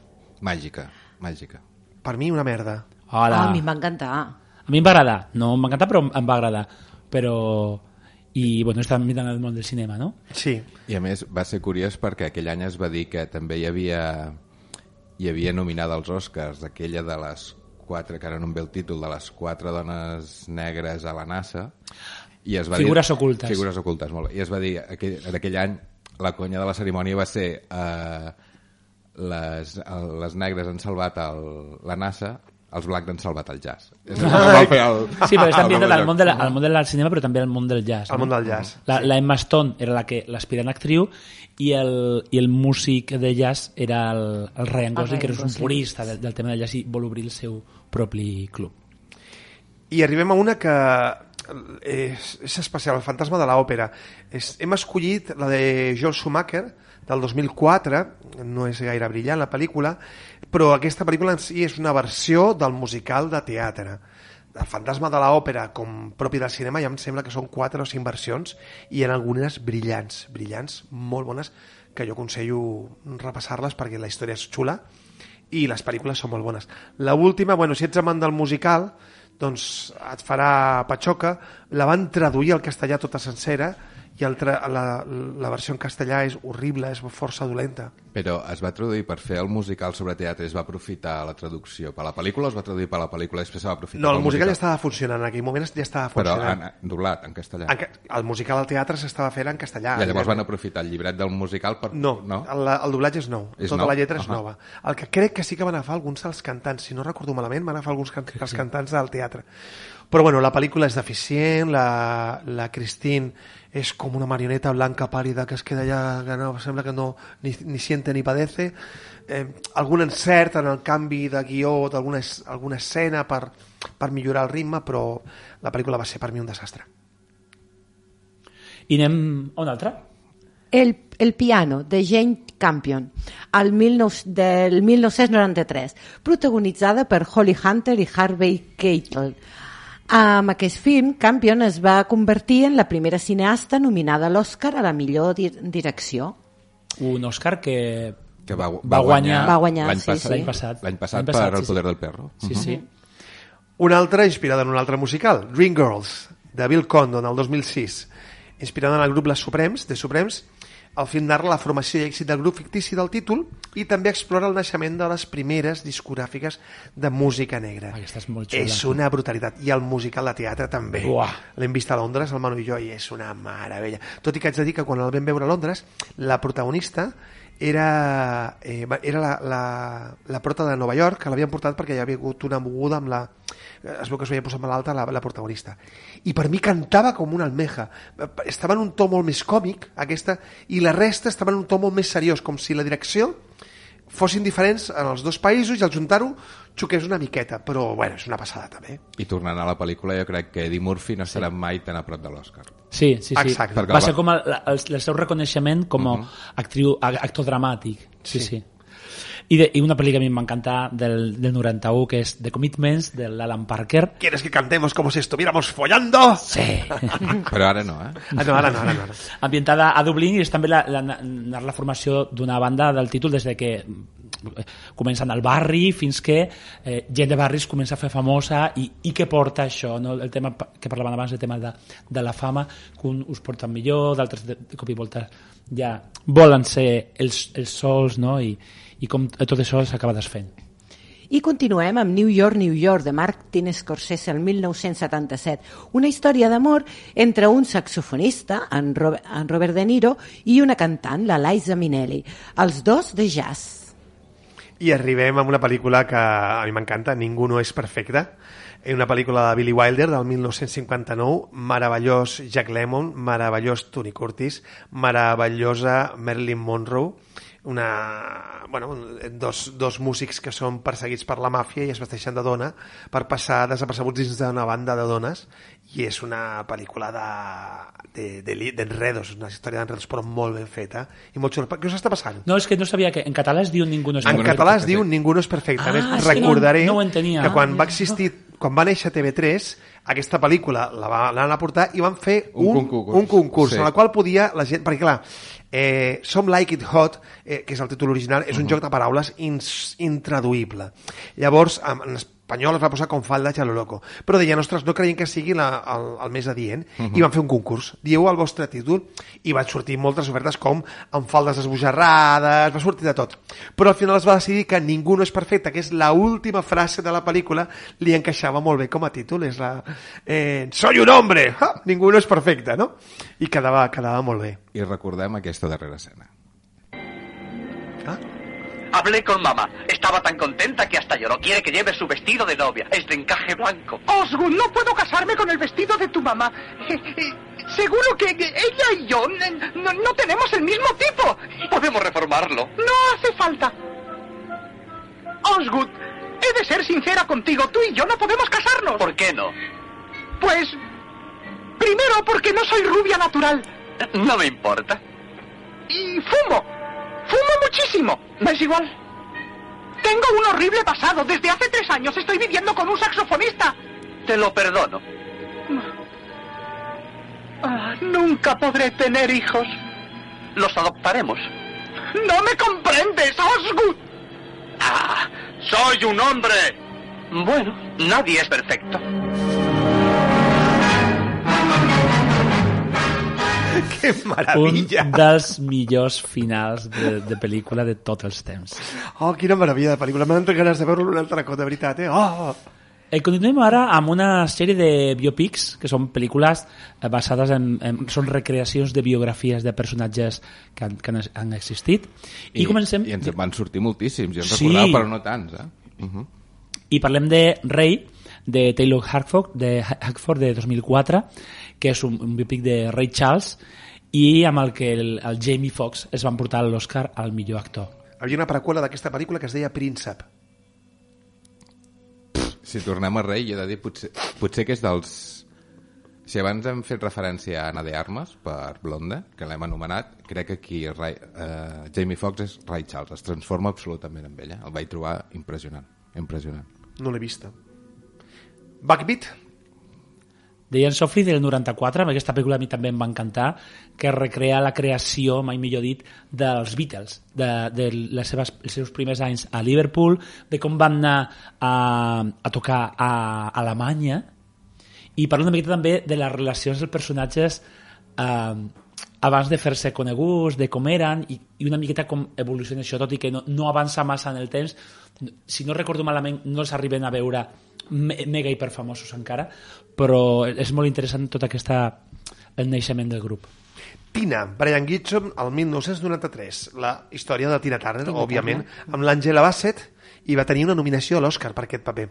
Màgica, màgica. Per mi una merda. Hola. Ah, a mi em va encantar. A mi em va agradar, no em va encantar, però em va agradar. Però... i bueno, està mirant el món del cinema, no? Sí. I a més va ser curiós perquè aquell any es va dir que també hi havia hi havia nominada als Oscars aquella de les quatre, que ara no em ve el títol, de les quatre dones negres a la NASA, i es va figures dir, ocultes figures ocultes, molt bé. I es va dir aquell, en aquell any la conya de la cerimònia va ser eh, les, les negres han salvat el, la NASA, els blancs han salvat el jazz. El... Sí, però estan viendo al món, de la, al món del cinema, però també al món del jazz. Al no? món del jazz. La, la Emma Stone era la que l'aspirant actriu i el, i el músic de jazz era el, el Ryan Gosling, que és un purista del, del tema del jazz i vol obrir el seu propi club. I arribem a una que és, és especial, El fantasma de l'òpera. Hem escollit la de Joel Schumacher, del dos mil quatre, no és gaire brillant la pel·lícula, però aquesta pel·lícula en si és una versió del musical de teatre. El fantasma de l'òpera, com propi del cinema, ja em sembla que són quatre o cinc versions, i en algunes brillants, brillants, molt bones, que jo aconsello repassar-les perquè la història és xula i les pel·lícules són molt bones. L'última, bueno, si ets amant del musical, doncs et farà patxoca. La van traduir al castellà tota sencera, i el tra- la, la versió en castellà és horrible, és força dolenta. Però es va traduir per fer el musical sobre teatre, es va aprofitar la traducció per la pel·lícula o es va traduir per la pel·lícula i després se va aprofitar no, el musical, musical ja estava funcionant, en aquell moment ja estava funcionant. Però en, doblat, en castellà. En, el musical al teatre s'estava fent en castellà. I llavors van aprofitar el llibret del musical per... No, no? El, el doblatge és nou, és tota nou? La lletra és uh-huh. nova. El que crec que sí que van agafar alguns dels cantants, si no recordo malament, van agafar alguns can- els cantants del teatre. Però bueno, la pel·lícula és deficient, la, la Christine és com una marioneta blanca pàl·lida que es queda allà, que no, sembla que no ni, ni siente ni padece. Eh, algun encert en el canvi de guió d'alguna alguna escena per, per millorar el ritme, però la pel·lícula va ser per mi un desastre. I anem a una altra? El, el piano, de Jane Campion, al mil nou, del mil nou-cents noranta-tres, protagonitzada per Holly Hunter i Harvey Keitel. Amb aquest film, Campion es va convertir en la primera cineasta nominada a l'Oscar a la millor di- direcció. Un Òscar que, que va, va, va guanyar, va guanyar l'any sí, passat, sí. l'any passat, l'any passat, l'any passat per El sí, poder sí. del perro. Sí, uh-huh. sí. Una altra inspirada en un altre musical, Dreamgirls, de Bill Condon, el dos mil sis. Inspirada en el grup Les Suprems, de Suprems, el film narra la formació i èxit del grup fictici del títol i també explora el naixement de les primeres discogràfiques de música negra. Aquesta és molt xula. És una brutalitat. I el musical de teatre també. Uah. L'hem vist a Londres, el Manu i jo, i és una meravella. Tot i que haig de dir que quan el vam veure a Londres, la protagonista era, eh, era la, la, la prota de Nova York, que l'havien portat perquè hi havia hagut una moguda amb la... Es veu que es veia posar malalta la, la protagonista. I per mi cantava com una almeja. Estava en un to molt més còmic, aquesta, i la resta estava en un to molt més seriós, com si la direcció fossin diferents en els dos països i al juntar-ho xoqués una miqueta, però bueno, és una passada també. I tornant a la pel·lícula, jo crec que Eddie Murphy no serà mai tan a prop de l'Oscar. Sí, sí, sí. Exacte. Va ser com el, el, el seu reconeixement com a uh-huh. actriu, actor dramàtic. Sí, sí. sí. I, de, I una pel·li que a mi m'encanta del, del noranta-u, que és The Commitments, de l'Alan Parker. ¿Quieres que cantemos como si estuviéramos follando? Sí. Però ara no, eh? Ah, no, ara no, ara no. Ara. Ambientada a Dublín, i és també la, la, la, la formació d'una banda del títol des de que comencen al barri fins que eh, gent de barris comença a fer famosa i, i què porta això, no? El tema que parlàvem abans, el tema de, de la fama, que un us porten millor, d'altres de, de cop i volta ja volen ser els, els sols, no? I, i com tot això s'acaba desfent. I continuem amb New York, New York, de Martin Scorsese, el mil nou-cents setanta-set. Una història d'amor entre un saxofonista, en Robert, en Robert De Niro, i una cantant, la Liza Minnelli. Els dos de jazz. I arribem a una pel·lícula que a mi m'encanta, Ningú no és perfecte, una pel·lícula de Billy Wilder del mil nou-cents cinquanta-nou, meravellós Jack Lemmon, meravellós Tony Curtis, meravellosa Marilyn Monroe, una, bueno, dos, dos músics que són perseguits per la màfia i es vesteixen de dona per passar desapercebuts dins d'una banda de dones, i és una pel·lícula d'enredos, de, de, una història d'enredos, però molt ben feta i molt xula. Què us està passant? No, és que no sabia que en català es diu Ningú no és perfecte. En català es diu Ningú no és perfecte. Ah, més, recordaré no, no que quan va existir, quan va néixer T V tres, aquesta pel·lícula la van aportar i van fer un, un concurs, un concurs sí. En el qual podia la gent, perquè clar, Eh, Some Like It Hot, eh, que és el títol original, és un uh-huh. joc de paraules ins, intraduïble. Llavors, en, en espanyol es va posar com falda a lo loco. Però deien, ostres, no creiem que sigui la, el, el més adient, uh-huh. i van fer un concurs. Dieu el vostre títol, i van sortir moltes ofertes com amb faldes esbojarrades, va sortir de tot. Però al final es va decidir que Ningú no és perfecte, que és l'última frase de la pel·lícula, li encaixava molt bé com a títol. És la... Eh, Soy un hombre! Ah, ningú no és perfecte, no? I quedava, quedava molt bé. I recordem aquesta darrera escena. ¿Ah? Hablé con mamá. Estaba tan contenta que hasta lloró. Quiere que lleve su vestido de novia. Es de encaje blanco. Osgood, no puedo casarme con el vestido de tu mamá. Eh, eh, seguro que ella y yo no, no tenemos el mismo tipo. Podemos reformarlo. No hace falta. Osgood, he de ser sincera contigo. Tú y yo no podemos casarnos. ¿Por qué no? Pues... primero, porque no soy rubia natural. No me importa. Y fumo. Fumo muchísimo. ¿Me es igual? Tengo un horrible pasado. Desde hace tres años estoy viviendo con un saxofonista. Te lo perdono. Ah, nunca podré tener hijos. Los adoptaremos. No me comprendes, Osgood. Ah, soy un hombre. Bueno, nadie es perfecto. Que meravella! Un dels millors finals de, de pel·lícula de tots els temps. Oh, quina meravella de pel·lícula. M'han entrat ganes de veure-lo un altre cop, de veritat, eh? Oh! Eh, continuem ara amb una sèrie de biopics, que són pel·lícules basades en, en... són recreacions de biografies de personatges que han, que han existit. I, I comencem... I ens van sortir moltíssims, jo en sí. recordava, però no tants, eh? Uh-huh. I parlem de Ray, de Taylor Hackford, de Hackford, de dos mil quatre, que és un, un biopic de Ray Charles, i amb el que el, el Jamie Foxx es van portar l'Oscar al millor actor. Hi havia una preqüela d'aquesta pel·lícula que es deia Príncep. Si tornem a Ray, jo he de dir, potser, potser que és dels... Si abans hem fet referència a Ana de Armas per Blonde, que l'hem anomenat, crec que aquí Ray, uh, Jamie Foxx és Ray Charles, es transforma absolutament en ella. El vaig trobar impressionant, impressionant. No l'he vista. Backbeat? Deien Sophie del noranta-quatre, amb aquesta pel·lícula a mi també em va encantar, que recrea la creació, mai millor dit, dels Beatles, de, de les seves, els seus primers anys a Liverpool, de com van anar a, a tocar a Alemanya, i parla una miqueta també de les relacions dels personatges eh, abans de fer-se coneguts, de com eren, i, i una miqueta com evoluciona això, tot i que no, no avança massa en el temps. Si no recordo malament, no els arriben a veure mega hiperfamosos encara, però és molt interessant tot aquesta el naixement del grup. Tina, Brian Gibson, el mil nou-cents noranta-tres, la història de Tina Turner, Tina òbviament, Turner. amb l'Angela Bassett, i va tenir una nominació a l'Oscar per aquest paper.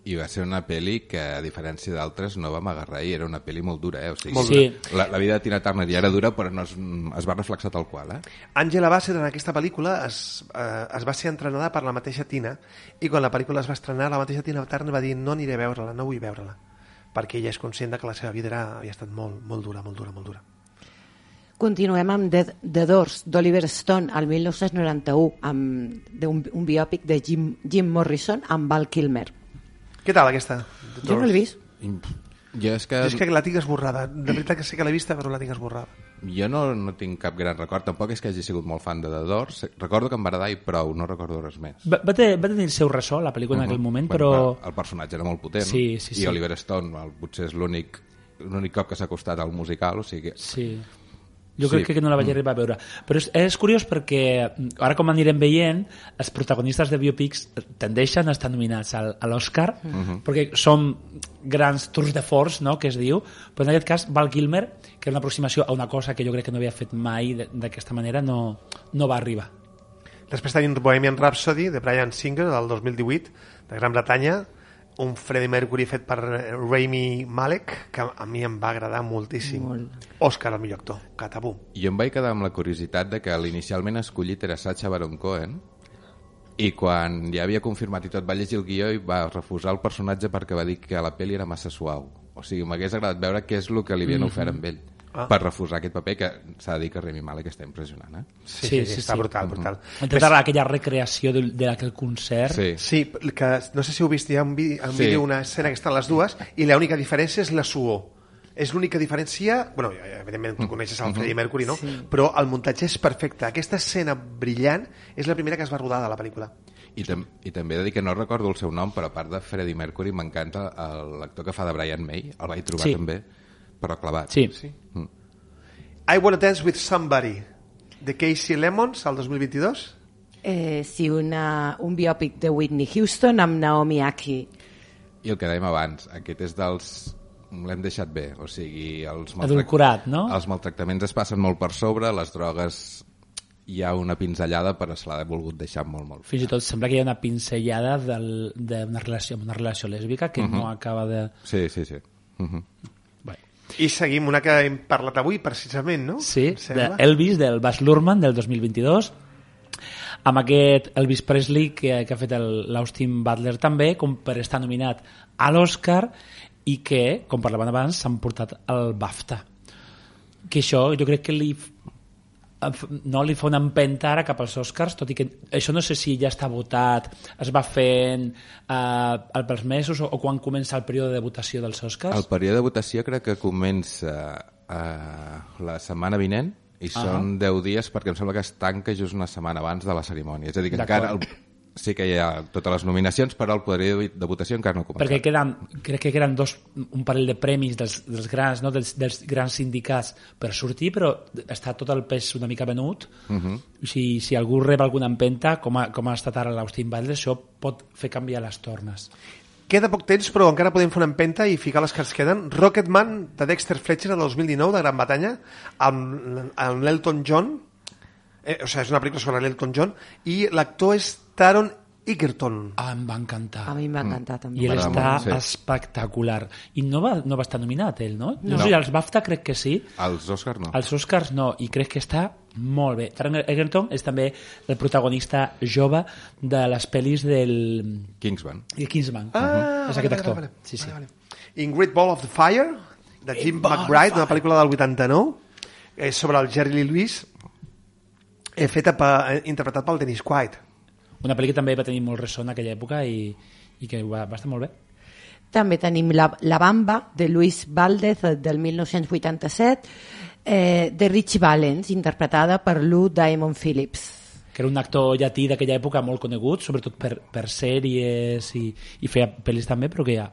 I va ser una pel·li que, a diferència d'altres, no vam agarrar, i era una pel·li molt dura, eh? O sigui, molt sí. la, la vida de Tina Turner ja era dura, però no es, es va reflexar tal qual, eh? Angela Bassett en aquesta pel·lícula es, eh, es va ser entrenada per la mateixa Tina, i quan la pel·lícula es va estrenar, la mateixa Tina Turner va dir no aniré a veure-la, no vull veure-la, perquè ella és conscient que la seva vida era, havia estat molt, molt dura, molt dura, molt dura. Continuem amb The, The Doors, d'Oliver Stone, al mil nou-cents noranta-u, amb d'un un biòpic de Jim, Jim Morrison amb Val Kilmer. Què tal, aquesta? Jo no l'he vist. Jo és que... Jo és que la tinc esborrada. De veritat que sé que l'he vista, però la tinc esborrada. Jo no, no tinc cap gran record. Tampoc és que hagi sigut molt fan de The Doors. Recordo que em va agradar i prou, no recordo res més. Va, va, tenir, va tenir el seu ressò, la pel·lícula, uh-huh. en aquell moment, bueno, però... El personatge era molt potent. Sí, sí, sí. I Oliver Stone el, potser és l'únic l'únic cop que s'ha acostat al musical, o sigui... Sí. Jo sí. crec que no la vaig arribar a veure. Però és, és curiós perquè, ara com anirem veient, els protagonistes de biopics tendeixen a estar nominats al, a l'Oscar, uh-huh. perquè són grans tours de force, no?, que es diu, però en aquest cas Val Kilmer, que era una aproximació a una cosa que jo crec que no havia fet mai d'aquesta manera, no, no va arribar. Després tenim Bohemian Rhapsody, de Bryan Singer, del dos mil divuit, de Gran Bretanya, un Freddie Mercury fet per Rami Malek, que a mi em va agradar moltíssim. Molt. Òscar, el millor actor, catapum. Jo em vaig quedar amb la curiositat de que l'inicialment escollit era Sacha Baron Cohen, i quan ja havia confirmat i tot, va llegir el guió i va refusar el personatge perquè va dir que la pel·li era massa suau. O sigui, m'hagués agradat veure què és el que li havien mm-hmm. ofert amb ell. Ah. Per refusar aquest paper, que s'ha de dir que Rami Malek està impressionant, eh? Sí, sí, sí, està sí. brutal, brutal. Intentar Ves... aquella recreació de, de aquell concert. Sí. sí, que no sé si heu vist, hi ha un vídeo, un sí. vídeo una escena que estan les dues, i l'única diferència és la suor. És l'única diferència... Bueno, evidentment tu coneixes el Freddie Mercury, no? Sí. Però el muntatge és perfecte. Aquesta escena brillant és la primera que es va rodar de la pel·lícula. I, tam I també he de dir que no recordo el seu nom, però a part de Freddie Mercury m'encanta l'actor que fa de Brian May, el vaig trobar sí. també, però clavat. Sí. sí. Mm. I Wanna Dance With Somebody, de Casey Lemons, el dos mil vint-i-dos. Eh, sí, una, un biòpic de Whitney Houston amb Naomi Aki. I el que dèiem abans, aquest és dels... l'hem deixat bé, o sigui... Els adulcorat, no? Els maltractaments es passen molt per sobre, les drogues hi ha una pinzellada, però se l'ha volgut deixar molt, molt... Fins i tot sembla que hi ha una pinzellada d'una relació, una relació lèsbica que uh-huh. no acaba de... Sí, sí, sí. Uh-huh. I seguim una que hem parlat avui, precisament, no? Sí, d'Elvis, del Baz Luhrmann, del dos mil vint-i-dos, amb aquest Elvis Presley que, que ha fet l'Austin Butler també, com per estar nominat a l'Oscar, i que, com parlaven abans, s'han portat el BAFTA. Que això jo crec que li, no, li fa una empenta ara cap als Oscars, tot i que això no sé si ja està votat, es va fent eh, pels mesos o, o quan comença el període de votació dels Oscars. El període de votació crec que comença eh, la setmana vinent i uh-huh. són deu dies perquè em sembla que es tanca just una setmana abans de la cerimònia. És a dir, que encara el, sí que hi ha totes les nominacions, però el període de votació encara no ha començat. Perquè queden, crec que queden dos, un parell de premis dels, dels grans, no? dels, dels grans sindicats per sortir, però està tot el pes una mica venut. Uh-huh. Si, si algú rep alguna empenta, com ha, com ha estat ara l'Austin Butler, això pot fer canviar les tornes. Queda poc temps, però encara podem fer una empenta i ficar les que ens queden. Rocketman, de Dexter Fletcher, del dos mil dinou, de Gran Bretanya, amb, amb l'Elton John, eh, o sigui, és una pel·lícula sobre l'Elton John, i l'actor és Taron Egerton. Ah, em va encantar. A mi em va encantar, mm. també. I ell està sí. espectacular. I no va, no va estar nominat, ell, no? No, no sé, als BAFTA crec que sí. Als Oscars no. Als Oscars no, i crec que està molt bé. Taron Egerton és també el protagonista jove de les pel·lis del... Kingsman. De Kingsman. Ah, uh-huh. És aquest actor. Vale, vale. Sí, sí. Vale, vale. Ingrid Ball of the Fire, de Jim McBride, una pel·lícula del vuitanta-nou, eh, sobre el Jerry Lee Lewis, eh, feta per, eh, interpretat pel Dennis Quaid. Una pel·li que també va tenir molt ressò en aquella època i, i que va, va estar molt bé. També tenim La, la Bamba, de Luis Valdez, del mil nou-cents vuitanta-set, eh, de Richie Valens, interpretada per Lou Diamond Phillips. Que era un actor llatí d'aquella època molt conegut, sobretot per, per sèries i, i feia pel·lis també, però que ja,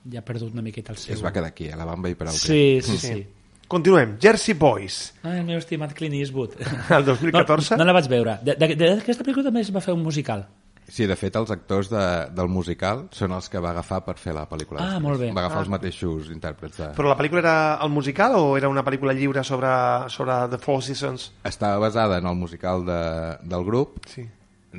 ja ha perdut una miqueta el seu... Es va quedar aquí, a La Bamba i prou. Sí, sí, sí. sí. Continuem. Jersey Boys. Ah, el meu estimat Clint Eastwood. El dos mil catorze? No, no la vaig veure. D'aquesta pel·lícula també es va fer un musical. Sí, de fet, els actors de, del musical són els que va agafar per fer la pel·lícula. Ah, després. molt bé. Va agafar ah. els mateixos intèrprets. De... Però la pel·lícula era el musical o era una pel·lícula lliure sobre, sobre The Four Seasons? Estava basada en el musical de, del grup. Sí.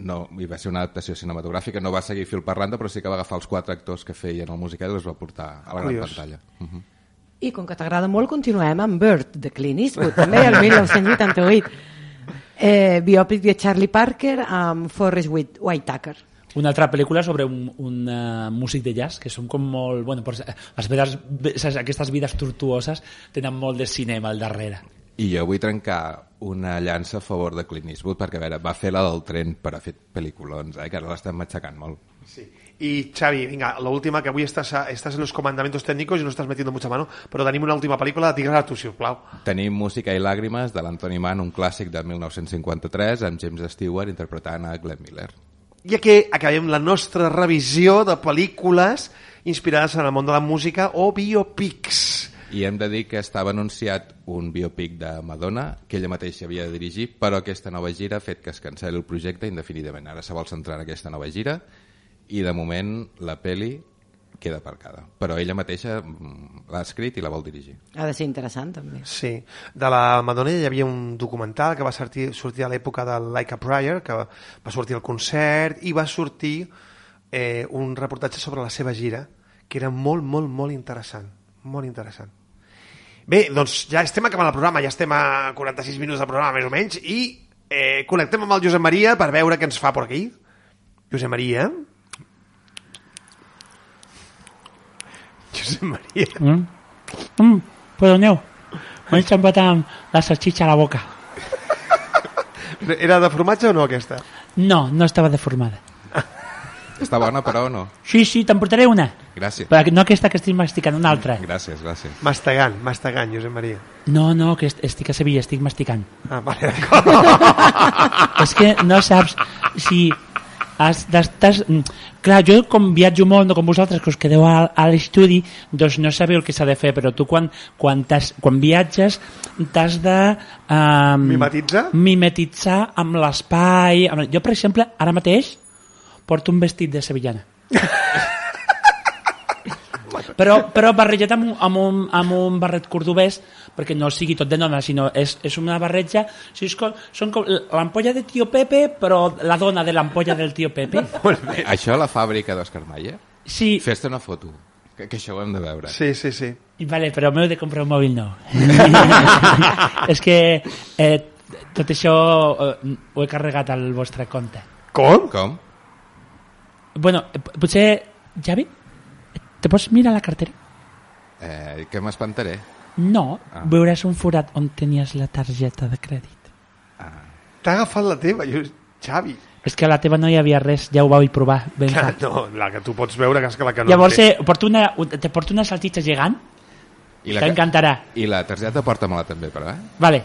No, hi va ser una adaptació cinematogràfica, no va seguir fil per randa, però sí que va agafar els quatre actors que feien el musical i els va portar a la Curiós. Gran pantalla. Uh-huh. I com que t'agrada molt, continuem amb Bird, de Clint Eastwood, també el mil nou-cents vuitanta-vuit. Eh, biòpic de Charlie Parker amb Forrest Whitaker. Una altra pel·lícula sobre un, un uh, músic de jazz, que són com molt... Bueno, les vides, aquestes vides tortuoses tenen molt de cinema al darrere. I jo vull trencar una llança a favor de Clint Eastwood, perquè a veure, va fer la del tren per a fer pel·lículons, eh, que ara l'estan matxacant molt. Sí. Y Xavi, venga, la última, que avui estàs, a, estàs en los comandamientos técnicos y no estás metiendo mucha mano, però tenim una última pel·lícula, digues a tu, sisplau. Tenim Música i làgrimes de l'Anthony Mann, un clàssic de mil nou-cents cinquanta-tres, amb James Stewart interpretant a Glenn Miller. I aquí acabem la nostra revisió de pel·lícules inspirades en el món de la música o biopics. I hem de dir que estava anunciat un biopic de Madonna, que ella mateixa havia de dirigir, però aquesta nova gira ha fet que es cancel·li el projecte indefinidament. Ara se vol centrar en aquesta nova gira i de moment la peli queda aparcada. Però ella mateixa l'ha escrit i la vol dirigir. Ha de ser interessant, també. Sí. De la Madonna hi havia un documental que va sortir, sortir a l'època de Like a Prayer, que va sortir al concert, i va sortir eh, un reportatge sobre la seva gira, que era molt, molt, molt interessant. Molt interessant. Bé, doncs ja estem acabant el programa, ja estem a quaranta-sis minuts del programa, més o menys, i eh, connectem amb el Josep Maria per veure què ens fa per aquí. Josep Maria... Josep Maria... Mm. Mm, perdoneu, m'he enxampat amb la salchicha a la boca. Era de formatge o no, aquesta? No, no estava deformada. Està bona, però, o no? Sí, sí, te'n portaré una. Gràcies. Però no aquesta que estic masticant, una altra. Gràcies, gràcies. Mastegant, mastegant, Josep Maria. No, no, que estic a Sevilla, estic masticant. Ah, vale, d'acord. És que no saps si... Has, estàs, clar, jo com viatjo molt, no com vosaltres, que us quedeu a, a l'estudi, doncs no sabeu el que s'ha de fer, però tu quan, quan, quan viatges t'has de... Um, mimetitzar? Mimetitzar amb l'espai. Amb... Jo, per exemple, ara mateix porto un vestit de sevillana. però, però barrejat amb un, amb, un, amb un barret cordobès, perquè no sigui tot de nona, sinó és, és una barreja, si és com, són com l'ampolla de tio Pepe, però la dona de l'ampolla del tio Pepe. Això a la fàbrica d'Òscar Mayer? Sí. Fes-te una foto, que, que això ho hem de veure. Sí, sí, sí. Vale, però m'heu de comprar un mòbil nou. És que eh, tot això eh, ho he carregat al vostre compte. Com? Com? Bueno, potser, Javi, te pots mirar la cartera? Eh, que m'espantaré? No, ah. veuràs un forat on tenies la targeta de crèdit. Ah. T'ha agafat la teva, jo... Xavi. És que a la teva no hi havia res, ja ho vau provar. Ben Clar, no, la que tu pots veure, que és que la que no... Llavors eh, porto una, te porto una saltitxa gegant, t'encantarà. I la targeta porta-me-la també, però, eh? Vale,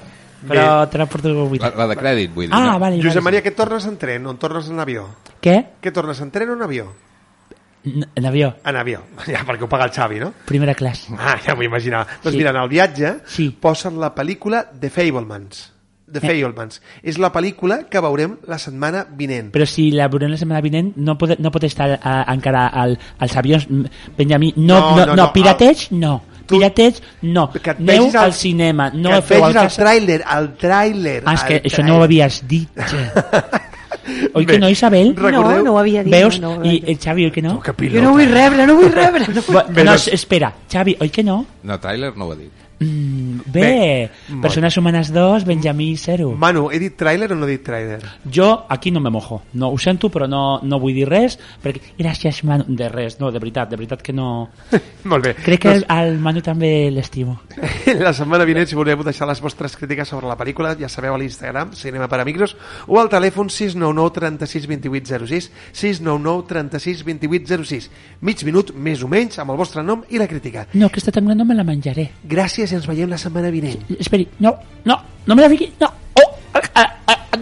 però Bé. te la porto avui. La, la de crèdit, vull dir. Ah, no? vale, Josep vale. Maria, què tornes en tren o en tornes en avió? Què? Què tornes en tren o en avió? En avió. En avió, ja, perquè ho paga el Xavi, no? Primera classe. Ah, ja m'ho imaginava. Doncs Sí. mira, en el viatge Sí. posen la pel·lícula The Fablemans. The Fablemans. És la pel·lícula que veurem la setmana vinent. Però si la veurem la setmana vinent no pot, no pot estar a, encara al, als avions, Benjamí. No, No, no, no, no, no, pirateig, no. Tu- Pirateig, no. Que et Aneu vegis al el- cinema. No que et feu vegis al el casa... tràiler, el tràiler. Ah, és que el això no ho tràiler. havies dit. Oi Bé, que no, Isabel? recordeu- No, no ho havia dit. Veus? No, no ho I havia dit. el Xavi, oi que no? Que Jo pilota. no vull rebre, no vull rebre. No vull... Bu- No, espera, Xavi, oi que no? No, tràiler no ho ha dit. Mm, bé, Bé, molt Persones Humanes dos, Benjamí zero. Manu, he dit tràiler o no he dit tràiler? Jo aquí no me mojo, no ho sento, però no, no vull dir res, perquè gràcies Manu, de res, no, de veritat, de veritat que no... Molt bé. Crec que el, el Manu també l'estimo. La setmana vinent, si voleu deixar les vostres crítiques sobre la pel·lícula, ja sabeu a l'Instagram, Cinema per Amigos, o al telèfon sis nou nou, trenta-sis, vint-i-vuit, zero sis, sis nou nou, trenta-sis, vint-i-vuit, zero sis. Mig minut, més o menys, amb el vostre nom i la crítica. No, aquesta també no me la menjaré. Gràcies i ens veiem la setmana vinent. Esperi, no, no, no me la fiqui, no. Oh, a, a, a, a,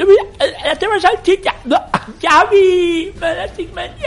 la teva salchicha, no, Xavi, me l'estic menjant.